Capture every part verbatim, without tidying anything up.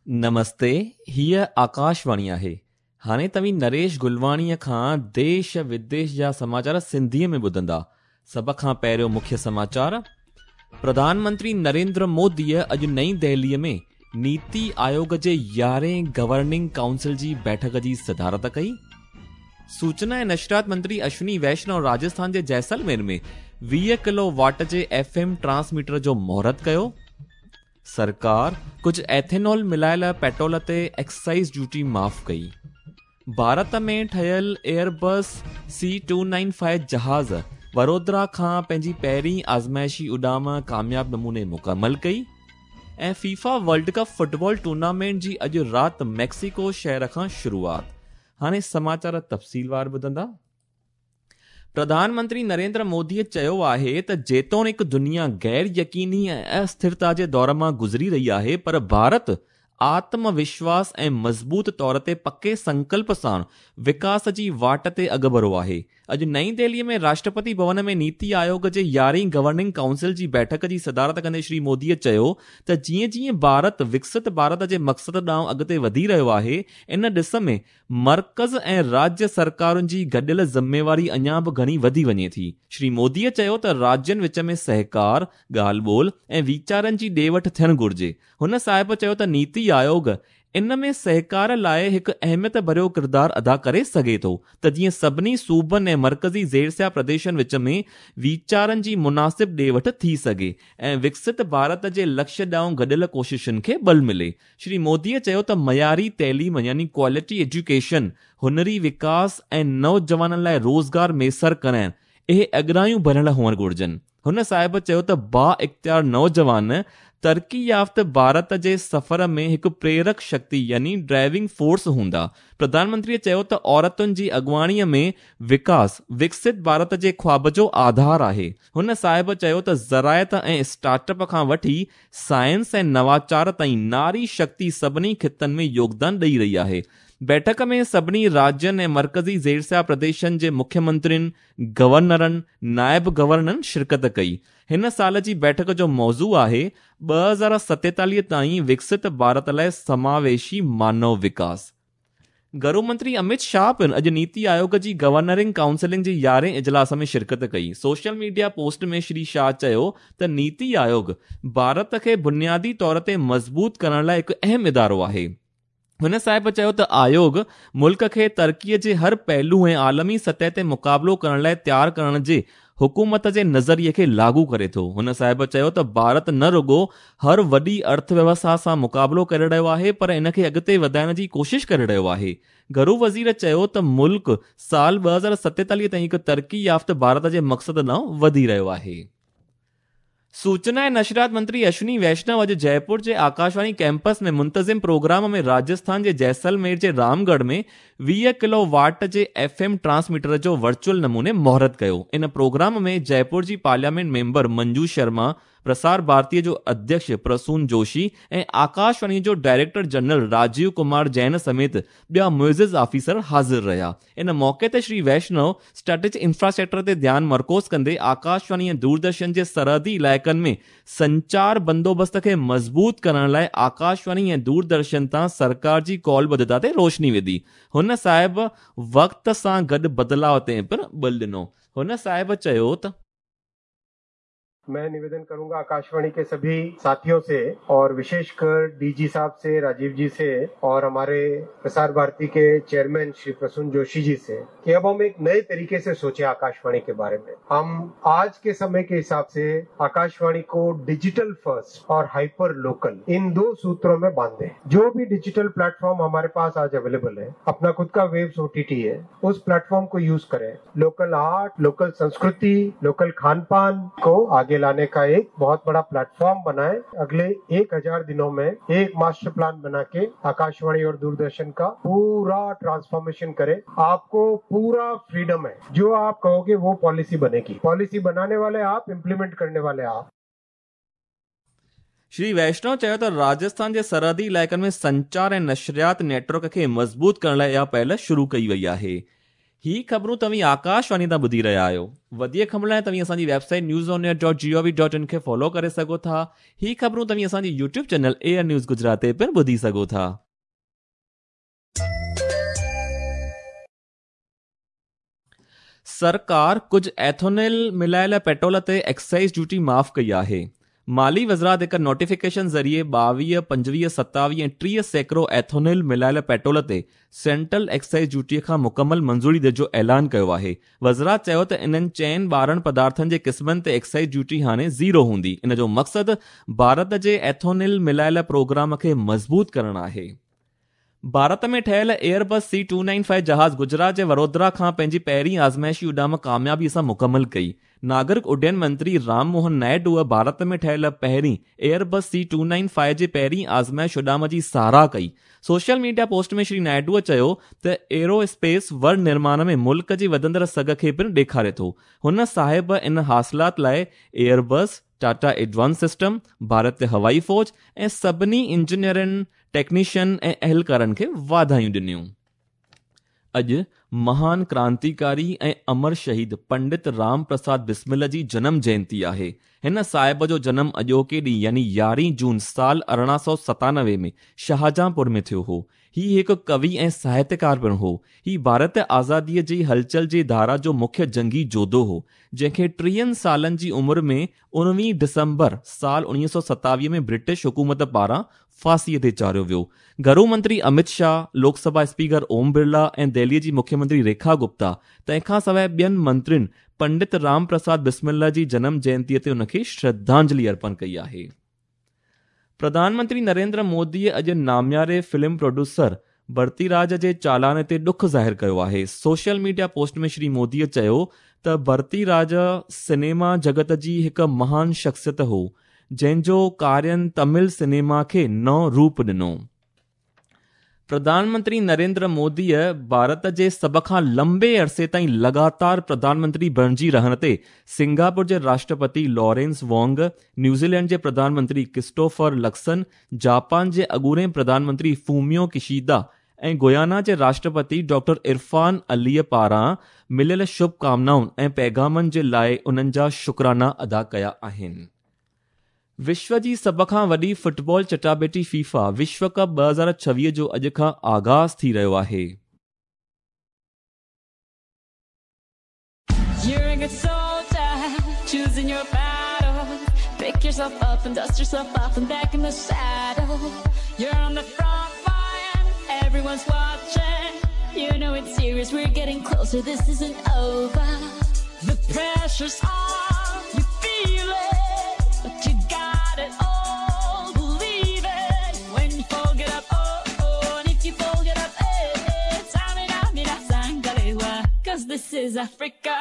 نمستي، हीअ आकाशवाणी आहे। हाणे तव्हीं नरेश गुलवाणीअ खां देश विदेश जा समाचार सिंधीअ में ॿुधंदा। सभ खां पहिरियों मुख्य समाचार। प्रधानमंत्री नरेंद्र मोदीअ अॼु नई दिल्लीअ में नीति आयोग जे यारहें गवर्निंग काउंसिल जी बैठक जी सदारत कई। सूचना ऐं नशरियात मंत्री अश्विनी वैष्णव राजस्थान जे जैसलमेर में वीह किलो वाट जे एफ एम ट्रांसमीटर जो मुहूर्त कयो। सरकार कुझु एथेनॉल मिलायल पेट्रोल ते एक्साइज ड्यूटी माफ़ कई। भारत में ठहियल Airbus C two nine five जहाज़ वडोदरा खां पंहिंजी पहिरीं आज़माइशी उॾाम कामयाब नमूने मुकमल कई। ऐं FIFA world cup football tournament जी अॼु राति मेक्सिको शहर खां शुरूआत। हाणे समाचार तफ़सीलवार ॿुधंदा। प्रधानमंत्री नरेंद्र मोदीअ चयो आहे त जेतोणीक दुनिया गैर यकीनी ऐं अस्थिरता जे दौर मां गुज़री रही आहे, पर भारत आत्मविश्वास ऐं मज़बूत तौर ते पके संकल्प सां विकास जी वाट ते अॻुभरो आहे। अॼु नई दिल्लीअ में राष्ट्रपति भवन में नीति आयोग जे यारहें गवर्निंग काउंसिल जी बैठक जी सदारत कंदे श्री मोदीअ चयो त जीअं जीअं भारत विकसित भारत जे मक़सद ॾांहुं अॻिते वधी रहियो आहे, इन ॾिस में मर्कज़ ऐं राज्य सरकारुनि जी गॾियल ज़िम्मेवारी अञा बि घणी वधी वञे थी। श्री मोदीअ चयो त राज्यनि विच में सहकार, ॻाल्हि ॿोल ऐं वीचारनि जी ॾे वठि थियणु घुरिजे। हुन साहिब चयो त नीति आयोग इन में सहकार लाइ हिकु अहमियत भरियो किरदारु अदा करे सघे थो त जीअं सभिनी सूबनि ऐं मर्कज़ी ज़ेरसिया प्रदेशनि विच में वीचारनि जी मुनासिब ॾे वठि थी सघे ऐं विकसित भारत जे लक्ष्य ॾांहुं गॾियल कोशिशुनि खे बल मिले। श्री मोदीअ चयो त मयारी तइलीम यानी क्वालिटी एजुकेशन, हुनरी विकास ऐं नौजवाननि लाइ रोज़गार मयसर कराइण इहे अॻरायूं भरियल हुअणु घुरिजनि। हुन साहिब चयो त बा इख़्तियार नौजवान तरक़ी याफ़्त भारत जे सफ़र में हिकु प्रेरक शक्ति यानी ड्राइविंग फोर्स हूंदा। प्रधानमंत्रीअ चयो त औरतुनि जी अॻुवाणीअ में विकास विकसित भारत जे ख़्वाब जो आधार आहे। हुन साहिब चयो त ज़रायत ऐं स्टार्टअप खां वठी साइंस ऐं नवाचार ताईं नारी शक्ति सभिनी ख़ितनि में योगदान ॾेई रही आहे। बैठक में सभिनी राज्यनि ऐं मर्कज़ी ज़ेरसिया प्रदेशनि जे मुख्यमंत्रियुनि, गवर्नरनि, नायब गवर्नरनि शिरकत कई। हिन साल जी बैठक जो मौज़ू आहे ॿ हज़ार सतेतालीह ताईं विकसित भारत लाइ समावेशी मानव विकास। गृह मंत्री अमित शाह पिणु अॼु नीति आयोग जी गवर्नरिंग काउंसिलिंग जी यारहें इजलास में शिरकत कई। सोशल मीडिया पोस्ट में श्री शाह चयो त नीति आयोग भारत खे बुनियादी तौर ते मज़बूत करण लाइ हिकु अहम इदारो आहे। हुन साहिब चयो त आयोग मुल्क खे तरक़ीअ जे हर पहलू ऐं आलमी सतह ते मुक़ाबिलो करण लाइ तयारु करण जे हुकूमत जे नज़रिए खे लागू करे थो। हुन साहिब चयो त भारत न रुगो हर वॾी अर्थव्यवस्था सां मुक़ाबिलो करे रहियो आहे, पर इन खे अॻिते वधाइण जी कोशिश करे रहियो आहे। घरू वज़ीर चयो त मुल्क साल ॿ हज़ार सतेतालीह ताईं हिकु तरक़ी याफ़्त भारत जे मक़सद ॾांहुं वधी रहियो आहे। सूचना ऐं नशरियात मंत्री अश्विनी वैष्णव अॼु जयपुर जे आकाशवाणी कैंपस में मुंतज़िम प्रोग्राम में राजस्थान जे जैसलमेर जे रामगढ़ में वीह किलो वाट जे एफ एम ट्रांसमीटर जो वर्चुअल नमूने मुहूर्त कयो। इन प्रोग्राम में जयपुर जी पार्लियामेंट मेंबर मंजू शर्मा, प्रसार भारतीय जो अध्यक्ष प्रसून जोशी ऐं आकाशवाणी जो डायरेक्टर जनरल राजीव कुमार जैन समेत ॿिया मुइज़िज़ ऑफिसर हाज़िर रहिया। इन मौक़े ते श्री वैष्णव स्ट्रेटेजिक इंफ्रास्ट्रक्चर ते ध्यानु मरकूज़ कंदे आकाशवाणी ऐं दूरदर्शन जे सरहदी इलाइक़नि में संचार बंदोबस्त खे मज़बूत करण लाइ आकाशवाणी ऐं दूरदर्शन तां सरकार जी कौलबद्धता ते रोशनी विधी। हुन साहिब वक़्त सां गॾु बदिलाव ते पिणु बल ॾिनो। हुन साहिब चयो त मैं निवेदन करूंगा आकाशवाणी के सभी साथियों से और विशेषकर डीजी साहब से, राजीव जी से और हमारे प्रसार भारती के चेयरमैन श्री प्रसून जोशी जी से कि अब हम एक नए तरीके से सोचें आकाशवाणी के बारे में। हम आज के समय के हिसाब से आकाशवाणी को डिजिटल फर्स्ट और हाइपर लोकल इन दो सूत्रों में बांधें। जो भी डिजिटल प्लेटफॉर्म हमारे पास आज अवेलेबल है, अपना खुद का वेव्स ओ टी टी है, उस प्लेटफॉर्म को यूज करें। लोकल आर्ट, लोकल संस्कृति, लोकल खान पान को आगे लाने का एक बहुत बड़ा प्लेटफॉर्म बनाए। अगले एक हजार दिनों में एक मास्टर प्लान बना के आकाशवाणी और दूरदर्शन का पूरा ट्रांसफॉर्मेशन करें। आपको पूरा फ्रीडम है, जो आप कहोगे वो पॉलिसी बनेगी। पॉलिसी बनाने वाले आप, इम्प्लीमेंट करने वाले आप। श्री वैष्णव चयो त राजस्थान जे सरहदी इलाइक़नि में संचार ऐं नशरियात नेटवर्क खे मज़बूत करण लाइ इहा पहल शुरू कई वई आहे। ही ख़बरूं तव्हीं आकाशवाणी तां ॿुधी रहिया आहियो। वधीक ख़बरुनि लाइ तव्हीं असांजी website news on air dot G O V dot in खे फॉलो करे सघो था। ही ख़बरूं तव्हीं असांजी YouTube channel air news Gujarat ते पिणु ॿुधी सघो था। सरकार कुझु एथोनॉल मिलायल पेट्रोल ते एक्साइज ड्यूटी माफ़ कई आहे। माली वज़ारत हिकु नोटिफिकेशन ज़रिए ॿावीह, पंजवीह, सतावीह ऐं टीह सैकड़ो एथोनॉल मिलायल पेट्रोल ते सेंट्रल एक्साइज ड्यूटीअ खां मुकमल मंज़ूरी ॾियण जो ऐलान कयो आहे। वज़ारत चयो त इन्हनि चइनि ॿारहं पदार्थनि जे क़िस्मनि ते एक्साइज ड्यूटी हाणे ज़ीरो हूंदी। इन जो मक़सदु भारत जे एथोनॉल मिलायल प्रोग्राम खे मज़बूत करणु आहे। भारत में ठहियल Airbus C two nine five जहाज़ गुजरात जे वडोदरा खां पंहिंजी पहिरीं आज़माइशी उॾाम कामयाबी सां मुकमल कई। नागरिक उड्डयन मंत्री राम मोहन नायडू भारत में ठहियल पहिरीं Airbus C two nine five जे पहिरीं आज़माइश उॾाम जी सराह कई। सोशल मीडिया पोस्ट में श्री नायडूअ चयो त एरोस्पेस वर निर्माण में मुल्क जी वधंदड़ सघ खे पिणु ॾेखारे थो। हुन साहिब इन हासिलात लाइ एयरबस, टाटा एडवांस सिस्टम, भारतीय हवाई फ़ौज ऐं सभिनी इंजीनियरनि, टेक्नीशियन ऐं अहलकारनि खे वाधायूं ॾिनियूं। अॼु महान क्रांतिकारी ऐं अमर शहीद पंडित राम प्रसाद बिस्मिल जी जनम जयंती आहे। हिन साहिब जो जनम अॼोके ॾींहुं यानी यारहीं जून साल अरिड़हं सौ सतानवे में शाहजहांपुर में थियो हो। ही हिकु कवि ऐं साहित्यकार पिणु हो। ही भारत आज़ादीअ जी हलचल जी धारा जो मुख्य जंगी जोधो हो, जंहिंखे टीहनि सालनि जी उमिरि में उणिवीह दिसंबर साल उणिवीह सौ सतावीह में ब्रिटिश हुकूमत पारां फांसीअ ते चाढ़ियो वियो। घरू मंत्री अमित शाह, लोकसभा स्पीकर ओम बिरला ऐं दिल्लीअ जी मुख्यमंत्री रेखा गुप्ता तंहिंखां सवाइ ॿियनि मंत्रियुनि पंडित राम प्रसाद बिस्मिल्ला जी जनम जयंतीअ ते हुनखे श्रद्धांजलि अर्पण कई आहे। प्रधानमंत्री नरेंद्र मोदीअ अॼु नामियारे फिल्म प्रोड्यूसर भरतीराज जे चालान ते ॾुख ज़ाहिर कयो आहे। सोशल मीडिया पोस्ट में श्री मोदीअ चयो त भरतीराज सिनेमा जगत जी हिकु महान शख्सियत हो, जंहिंजो कार्यानि तमिल सिनेमा खे नओं रूप ॾिनो। प्रधानमंत्री नरेंद्र मोदीअ भारत जे सभ खां लंबे अरसे ताईं लगातार प्रधानमंत्री बणिजी रहण ते सिंगापुर जे राष्ट्रपति लॉरेंस वोंग, न्यूजीलैंड जे प्रधानमंत्री क्रिस्टोफर लक्सन, जापान जे अॻूणे प्रधानमंत्री फूमियो किशिदा ऐं गुयाना जे राष्ट्रपति डॉक्टर इरफान अलीअ पारां मिलियल शुभकामनाउनि ऐं पैगामनि जे लाइ उन्हनि जा शुक्राना अदा कया आहिनि। विश्व जी सभ खां वॾी फुटबॉल चटाबेटी फीफा विश्व कप ॿ हज़ार छवीह जो अॼु खां आगाज़ थी रहियो आहे। It all, believe it. When you fold it up, oh, oh, and if you fold it up, eh, eh, Tamina, mina, sangalewa, 'cause this is Africa.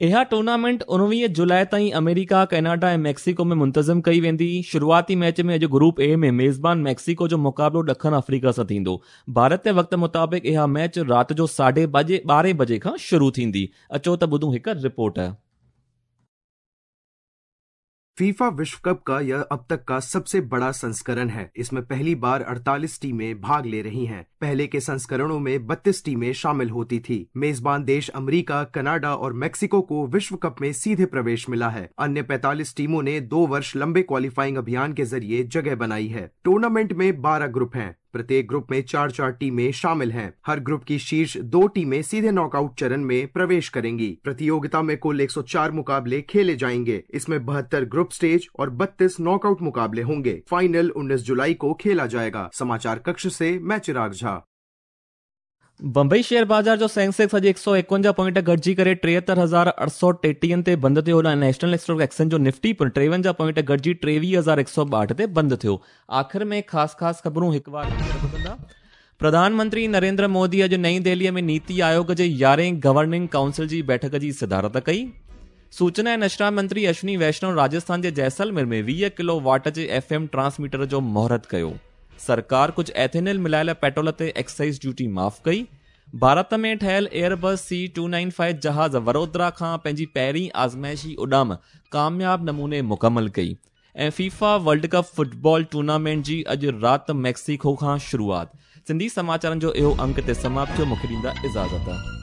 इहा टूर्नामेंट उणिवीह जुलाई ताईं अमेरिका, कनाडा ऐं मैक्सिको में मुंतज़िम कई वेंदी। शुरुआती मैच में अॼु ग्रुप ए में मेज़बान मैक्सिको जो मुक़ाबिलो ॾखण अफ्रीका सां थींदो। भारत जे वक़्त मुताबिक़ इहा मैच राति जो साढे ॿारहें बजे खां शुरू थींदी। अचो त ॿुधूं हिकु रिपोर्ट। फीफा विश्व कप का यह अब तक का सबसे बड़ा संस्करण है। इसमें पहली बार अड़तालीस टीमें भाग ले रही हैं। पहले के संस्करणों में बत्तीस टीमें शामिल होती थी। मेजबान देश अमेरिका, कनाडा और मेक्सिको को विश्व कप में सीधे प्रवेश मिला है। अन्य पैंतालीस टीमों ने दो वर्ष लंबे क्वालिफाइंग अभियान के जरिए जगह बनाई है। टूर्नामेंट में बारह ग्रुप हैं। प्रत्येक ग्रुप में चार चार टीमें शामिल हैं। हर ग्रुप की शीर्ष दो टीमें सीधे नॉकआउट चरण में प्रवेश करेंगी। प्रतियोगिता में कुल एक सौ चार मुकाबले खेले जाएंगे। इसमें बहत्तर ग्रुप स्टेज और बत्तीस नॉकआउट मुकाबले होंगे। फाइनल उन्नीस जुलाई को खेला जाएगा। समाचार कक्ष से मैं चिराग झा। बंबई शेयर बाज़ार जो सेंसेक्स अॼु हिकु सौ एकवंजाह पॉइंट घटिजी करे टेहतरि हज़ार अठ सौ टेटीहनि ते बंदि थियो। नेशनल स्टॉक एक्सचेंज जो निफ्टी पिणु टेवंजाह पॉइंट घटिजी टेवीह हज़ार हिकु सौ ॿाहठि ते बंदि थियो। आख़िर में ख़ासि ख़ासि ख़बरूं हिकु बार ॿुधंदा। प्रधानमंत्री नरेंद्र मोदी अॼु नई दिल्लीअ में नीति आयोग जे यारहें गवर्निंग काउंसिल जी बैठक जी सदारत कई। सूचना ऐं नशरा मंत्री अश्विनी वैष्णव राजस्थान जे जैसलमेर में वीह किलो वाट जे एफ एम ट्रांसमीटर जो मुहूर्त कयो। सरकार कुझु एथेनॉल मिलायल पेट्रोल ते एक्साइज ड्यूटी माफ़ कई। भारत में ठहियल Airbus C two nine five जहाज़ वडोदरा खां पंहिंजी पहिरीं आज़माइशी उॾाम कामयाब नमूने मुकमल कई। ऐं FIFA world cup football tournament जी अॼु राति मैक्सिको खां शुरूआत। सिंधी समाचारनि जो इहो अंक ते समाप्त थियो। मूंखे ॾींदा इजाज़त।